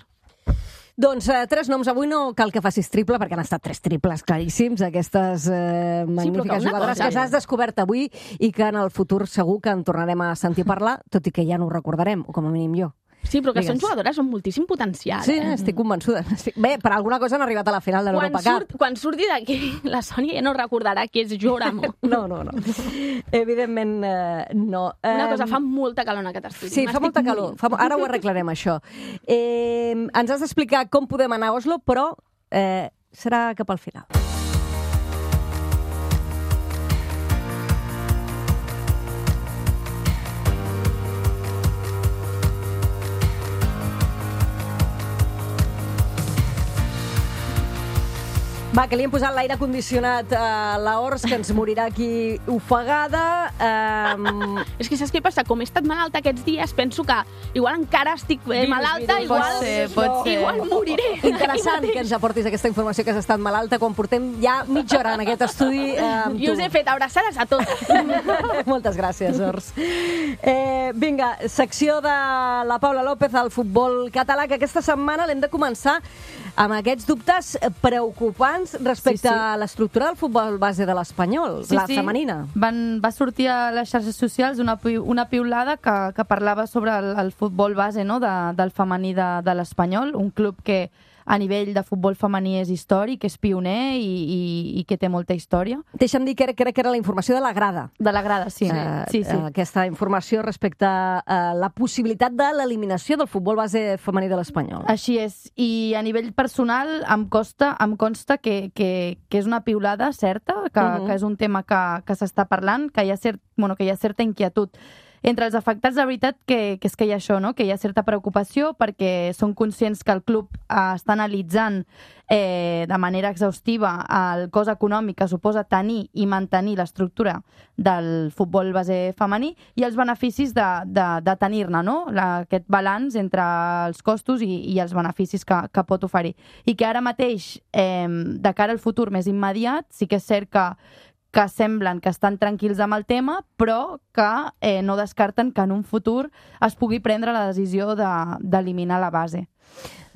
Doncs eh, tres noms. Avui no cal que facis triple, perquè han estat tres triples claríssims, aquestes eh, magnífiques una jugadores cosa, que s'has descobert avui i que en el futur segur que en tornarem a sentir parlar, tot i que ja no ho recordarem, o com a mínim jo. Sí, però que Digues. són jugadores amb moltíssim potencial. Sí, eh? estic convençuda. Estic... Bé, per alguna cosa han arribat a la final de Quan, l'Europa Cup. surt, quan surti d'aquí, la Sònia ja no recordarà qui és Joramo. No, no, no. Evidentment, eh, no. Una Eh, cosa, fa molta calor en aquest estudi. Sí, fa M'estic molta calor. morint. Fa... Ara ho arreglarem, això. Eh, ens has d'explicar com podem anar a Oslo, però eh, serà cap al final. Va, que li hem posat l'aire condicionat a la Ors, que ens morirà aquí ofegada. Um... És que saps què passa? Com he estat malalta aquests dies, penso que igual encara estic eh, Virus, malalta, virus. igual, Pot ser, pot ser. igual moriré. Interessant que ens aportis aquesta informació que has estat malalta quan portem ja mitja hora en aquest estudi eh, amb I tu. us he fet abraçades a totes. Moltes gràcies, Ors. Eh, vinga, secció de la Paula López al futbol català, que aquesta setmana l'hem de començar amb aquests dubtes preocupants respecte Sí, sí. a l'estructura del futbol base de l'Espanyol, la femenina. Van, va sortir a les xarxes socials una, pi- una piulada que, que parlava sobre el, el futbol base, no?, de, del femení de, de l'Espanyol, un club que a nivell de futbol femení és històric, és pioner i, i, i que té molta història. Deixa'm dir que crec, crec que era la informació de la grada. De la grada, sí. Eh, sí, sí. eh, aquesta informació respecte a la possibilitat de l'eliminació del futbol base femení de l'Espanyol. Així és. I a nivell personal em costa, em consta que, que, que és una piulada certa, que, Mhm. que és un tema que, que s'està parlant, que hi ha, cert, bueno, que hi ha certa inquietud entre els afectats, de veritat, que, que és que hi ha això, no? Que hi ha certa preocupació perquè són conscients que el club eh, està analitzant eh, de manera exhaustiva el cost econòmic que suposa tenir i mantenir l'estructura del futbol base femení i els beneficis de, de, de tenir-ne, no? La, aquest balanç entre els costos i, i els beneficis que, que pot oferir. I que ara mateix, eh, de cara al futur més immediat, sí que és cert que que semblen que estan tranquils amb el tema, però que eh, no descarten que en un futur es pugui prendre la decisió d'eliminar de, la base.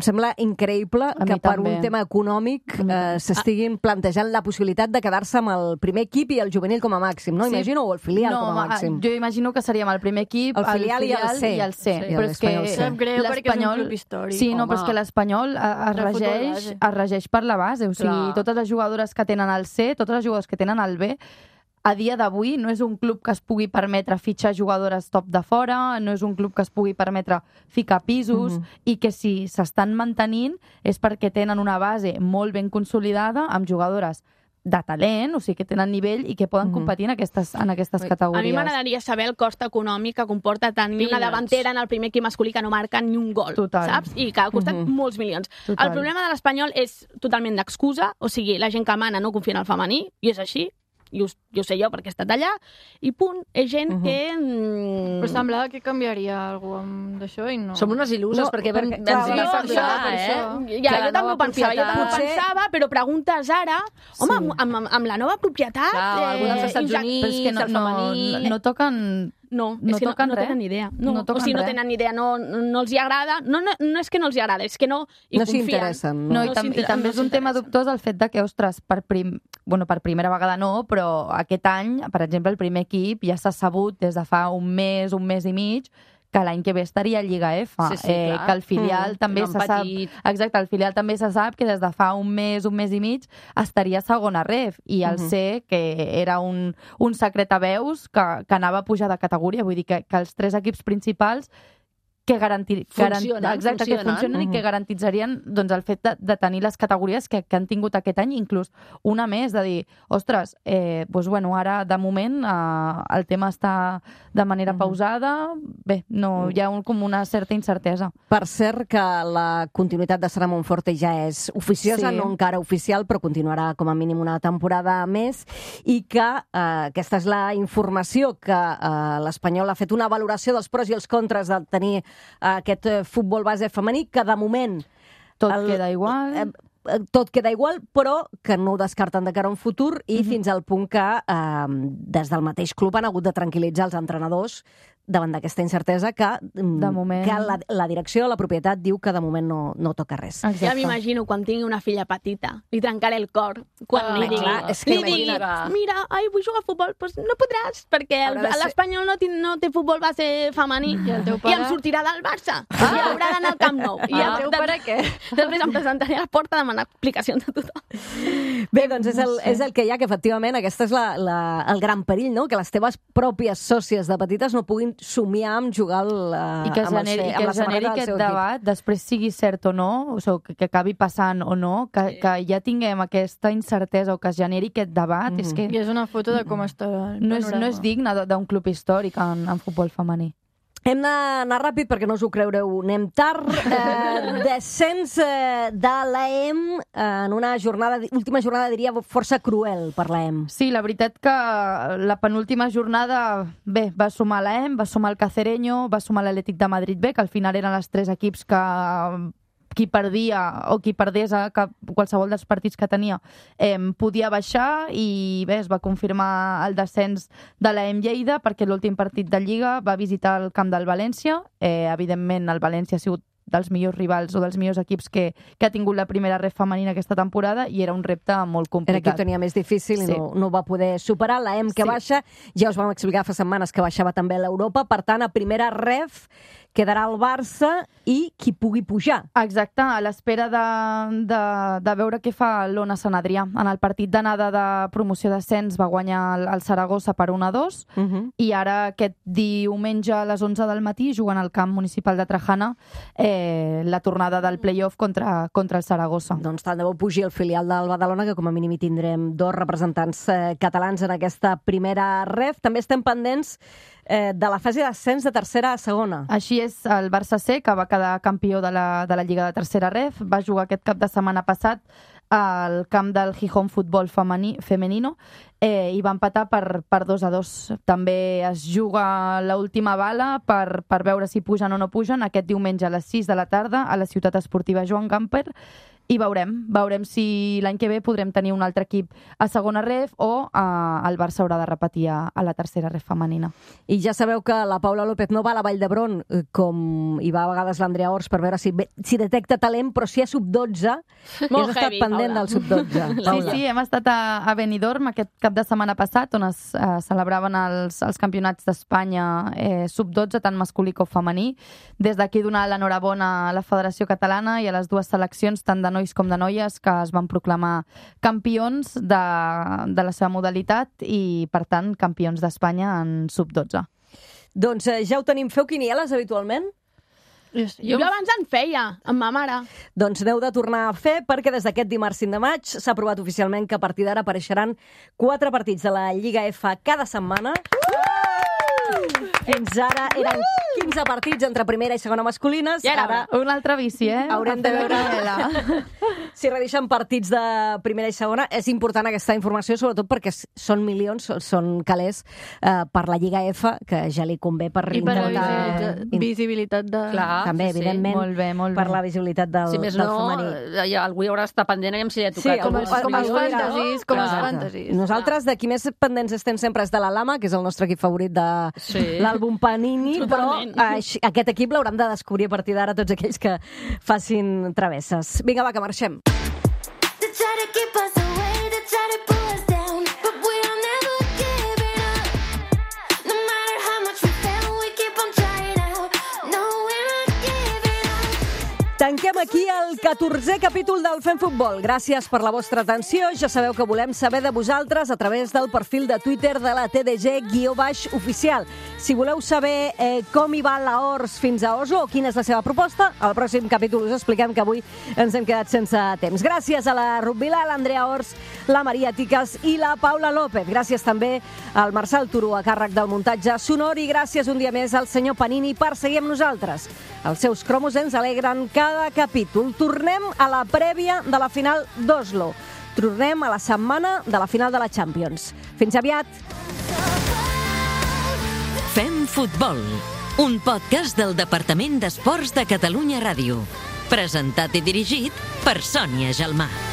Em sembla increïble que per també. un tema econòmic eh, s'estiguin plantejant la possibilitat de quedar-se amb el primer equip i el juvenil com a màxim, no? Sí. Imagino, o el filial no, com a màxim. Jo imagino que seríem el primer equip, el filial, el filial i el C. I el C. Sí, però és que sap greu perquè és un club històric. Sí, no, Home. però és que l'Espanyol es regeix, es regeix per la base. O sigui, Clar. totes les jugadores que tenen el C, totes les jugadores que tenen el B, a dia d'avui no és un club que es pugui permetre fitxar jugadores top de fora, no és un club que es pugui permetre ficar pisos, mm-hmm. i que si s'estan mantenint és perquè tenen una base molt ben consolidada amb jugadores de talent, o sigui, que tenen nivell i que poden mm-hmm. competir en aquestes, en aquestes categories. A mi m'agradaria saber el cost econòmic que comporta tenir una davantera en el primer equip masculí que no marca ni un gol, Total. saps? I que ha costat mm-hmm. molts milions. Total. El problema de l'Espanyol és totalment d'excusa, o sigui, la gent que mana no confia en el femení, i és així, i ho, jo sé jo perquè he estat allà, i punt, és gent uh-huh. que... Mm... Però semblava que canviaria alguna cosa d'això i no... Som unes il·luses, no, perquè, perquè clar, ens no, no, per clar, això, eh? Per ja, jo també ho pensava, jo també ho Potser... pensava, però preguntes ara, home, Sí. amb, amb, amb la nova propietat... Clar, algú dels Estats inject- Units, Però és que no, el no, femení... no, no toquen... No, No és que no, toquen no res. tenen ni idea. No, No toquen o sigui, no res. tenen ni idea, no, no els hi agrada. No, no, no és que no els hi agrada, és que no hi No s'hi confien. interessen, No, no? i, tam i s'inter- també no és un tema s'interessen. dubtós el fet de que, ostres, per, prim... bueno, per primera vegada no, però aquest any, per exemple, el primer equip ja s'ha sabut des de fa un mes, un mes i mig, que l'any que ve estaria a Lliga F, Sí, sí, eh, clar. que el filial Mm, també no se han sap... patit. Exacte, el filial també se sap que des de fa un mes, un mes i mig, estaria a segona ref, i el Mhm. C, que era un, un secret a veus, que, que anava a pujar de categoria, vull dir que, que els tres equips principals que garantir, Funcionen, garan, exacte, funcionen. que funcionen Mhm. i que garantitzarien doncs, el fet de, de tenir les categories que, que han tingut aquest any, inclús una més, de dir, ostres, eh, doncs, bueno, ara de moment eh, el tema està de manera Mhm. pausada, bé, no, hi ha un, com una certa incertesa. Per cert, que la continuïtat de Sara Monforte ja és oficiosa, Sí. no encara oficial, però continuarà com a mínim una temporada més, i que eh, aquesta és la informació, que eh, l'Espanyol ha fet una valoració dels pros i els contres de tenir eh, aquest eh, futbol base femení, que de moment... Tot el- queda igual. eh, eh, tot queda igual, però que no ho descarten de cara a un futur, i Mhm. fins al punt que eh, des del mateix club han hagut de tranquil·litzar els entrenadors davant d'aquesta incertesa, que, mm, De moment. que la, la direcció, la propietat, diu que de moment no, no toca res. Exacte. Ja m'imagino quan tingui una filla petita, li trencaré el cor. Quan Ah, li digui, clar, és que li digui, imagina't. mira, ai, vull jugar a futbol, doncs no podràs, perquè el- Haurà de ser- l'Espanyol no, té- no té futbol base femení I el teu i pare? em sortirà del Barça. I haurà d'anar al Camp Nou. I Ah, el teu pare què? Després em presentaré a la porta a demanar explicacions de tothom. Bé, doncs és el, és el que hi ha, que efectivament aquesta és la, la, el gran perill, no? Que les teves pròpies sòcies de petites no puguin somiar amb jugar el, uh, I que es amb, el, generi, se- i amb que la es generi samarreta del aquest seu equip. debat, després sigui cert o no, o sigui, que, que acabi passant o no, que, que ja tinguem aquesta incertesa o que es generi aquest debat, Mhm. és que I és una foto de com està el no és, no panorama. és digne d- d'un club històric en, en futbol femení. Hem d'anar ràpid perquè no us ho creureu. Anem tard. Eh, descens eh, de l'A E M en una jornada, última jornada, diria, força cruel per l'A E M. Sí, la veritat que la penúltima jornada, bé, va sumar l'A E M, va sumar el Cacereño, va sumar l'Atlètic de Madrid B, que al final eren els tres equips que qui perdia o qui perdés a cap, qualsevol dels partits que tenia eh, podia baixar, i bé, es va confirmar el descens de l'A E M Lleida perquè l'últim partit de Lliga va visitar el camp del València. Eh, evidentment el València ha sigut dels millors rivals o dels millors equips que, que ha tingut la primera ref femenina aquesta temporada, i era un repte molt Era qui ho complicat. tenia més difícil i Sí. no, no va poder superar. L'A E M que Sí. baixa, ja us vam explicar fa setmanes que baixava també l'Europa, per tant, a primera ref quedarà el Barça i qui pugui pujar. Exacte, a l'espera de, de, de veure què fa l'Ona Sant Adrià. En el partit d'anada de promoció d'ascens va guanyar el, el Saragossa per un a dos, Uh -huh. i ara aquest diumenge a les onze del matí juguen al camp municipal de Trajana eh, la tornada del play-off contra, contra el Saragossa. Doncs tant de bo pugi el filial del Badalona, que com a mínim hi tindrem dos representants eh, catalans en aquesta primera ref. També estem pendents eh, de la fase d'ascens de tercera a segona. Així és, el Barça C, que va quedar campió de la, de la Lliga de Tercera Ref, va jugar aquest cap de setmana passat al camp del Gijón Futbol femení, Femenino eh, i va empatar per, per dos a dos. També es juga l'última bala per, per veure si pugen o no pugen aquest diumenge a les sis de la tarda a la ciutat esportiva Joan Gamper. I veurem, veurem si l'any que ve podrem tenir un altre equip a segona ref o eh, el Barça haurà de repetir a, a la tercera ref femenina. I ja sabeu que la Paula López no va a la Vall d'Hebron eh, com hi va a vegades l'Andrea Ors per veure si, si detecta talent, però si hi ha sub dotze, i has estat heavy, pendent Paula. del sub dotze. Sí, sí, hem estat a, a Benidorm aquest cap de setmana passat, on es eh, celebraven els, els campionats d'Espanya eh, sub dotze, tant masculí com femení. Des d'aquí donar l'enhorabona a la Federació Catalana i a les dues seleccions, tant de nois com de noies, que es van proclamar campions de, de la seva modalitat i, per tant, campions d'Espanya en sub dotze. Doncs eh, ja ho tenim. Feu quinieles habitualment? Jo, jo abans en feia, amb ma mare. Doncs n'heu de tornar a fer perquè des d'aquest dimarts cinc de maig s'ha aprovat oficialment que a partir d'ara apareixeran quatre partits de la Lliga F cada setmana. Fins ara eren quinze partits entre primera i segona masculines. Ja era ara Un altre vici, eh? haurem de veure si redeixen partits de primera i segona. És important aquesta informació, sobretot perquè són milions, són calés eh, per la Lliga F, que ja li convé per I per la intentar... visibilitat, visibilitat de... Clar. També, sí, sí. evidentment, Molt bé, molt per bé. la visibilitat del, Si més del no, femení. ja, algú hi haurà d'estar pendent i si li ha Sí, tocat. Com algú- els, com els algú dirà, fantasis, com els Clar. fantasis. Nosaltres, de qui més pendents estem sempre és de la Lama, que és el nostre equip favorit de Sí. l'àlbum Panini, Totalment. però eh, aquest equip l'hauran de descobrir a partir d'ara tots aquells que facin travesses. Vinga, va, que marxem. They try to keep us away, they try to pull us down, but we are never giving up. No matter how much we fail, we keep on trying out. No, we're not giving up. Tanquem aquí el catorzè capítol del Fem Futbol. Gràcies per la vostra atenció. Ja sabeu que volem saber de vosaltres a través del perfil de Twitter de la T D G guió baix oficial. Si voleu saber eh, com hi va la Ors fins a Oslo o quina és la seva proposta, al pròxim capítol us expliquem que avui ens hem quedat sense temps. Gràcies a la Rubila, l'Andrea Ors, la Maria Ticas i la Paula López. Gràcies també al Marçal Turó a càrrec del muntatge sonor i gràcies un dia més al senyor Panini per seguir amb nosaltres. Els seus cromos ens alegren cada capítol. Tornem a la prèvia de la final d'Oslo. Tornem a la setmana de la final de la Champions. Fins aviat! Fem Futbol, un podcast del Departament d'Esports de Catalunya Ràdio. Presentat i dirigit per Sònia Gelmà.